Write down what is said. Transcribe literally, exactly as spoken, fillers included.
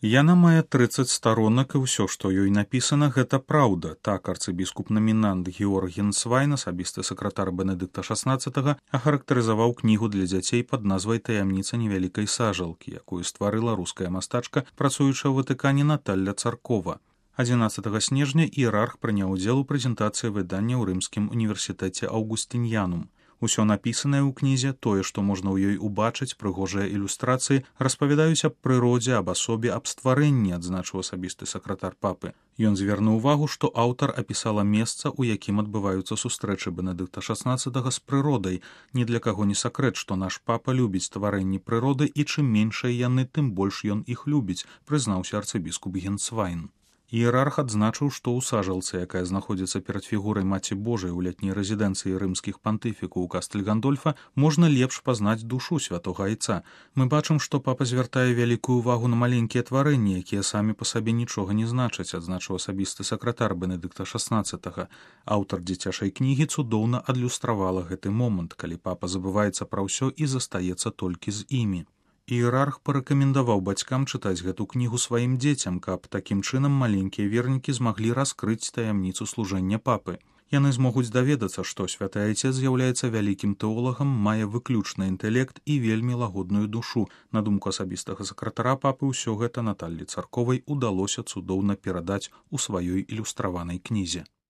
Яна мае трыццаць старонак, і ўсё, што ёй напісана, гэта праўда. Так арцыбіскуп-намінант Георг Генсвайн, асабісты сакратар Бенедыкта шаснаццатага, ахарактарызаваў кнігу для дзяцей пад назвай «Таямніца невялікай сажалкі», якую стварыла руская мастачка, працуючая ў Ватыкане Наталля Царкова. адзінаццатага снежня іерарх прыняў удзел у прэзентацыі выдання ў рымскім універсітэце Аўгустыньянум. Усё напісанае ў кнізе, тое, што можна ў ёй убачыць, прыгожыя ілюстрацыі, распавядаюць аб прыродзе, аб асобе, аб стварэнні, адзначыў асабісты сакратар папы. Ён звярнуў увагу, што аўтар апісала месца, у якім адбываюцца сустрэчы Бенедыкта шаснаццатага з прыродай. Ні для каго не сакрэт, што наш папа любіць стварэнні прыроды, і чым меншыя яны, тым больш ён іх любіць, прызнаўся арцыбіскуп Генсвайн. Іерарх адзначыў, што ў сажалцы, якая знаходзіцца перад фігурай Маці Божай у летняй рэзідэнцыі рымскіх пантыфікаў у Кастэль-Гандольфа, можна лепш пазнаць душу святога айца. Мы бачым, што папа звяртае вялікую ўвагу на маленькія тварэнні, якія самі па сабе нічога не значаць, адзначыў асабісты сакратар Бенедыкта шаснаццатага. Аўтар дзіцячай кнігі цудоўна адлюстравала гэты момант, калі папа забываецца пра ўсё і застаецца толькі з імі. Іерарх парэкамендаваў бацькам чытаць гэту кнігу сваім дзецям, каб такім чынам маленькія вернікі змаглі раскрыць таямніцу служэння папы. Яны змогуць даведацца, што святы айцец з'яўляецца вялікім тэолагам, мае выключны інтэлект і вельмі лагодную душу. На думку асабістага сакратара папы, ўсё гэта Наталлі Царковай удалося цудоўна перадаць у сваёй ілюстраванай кнізе.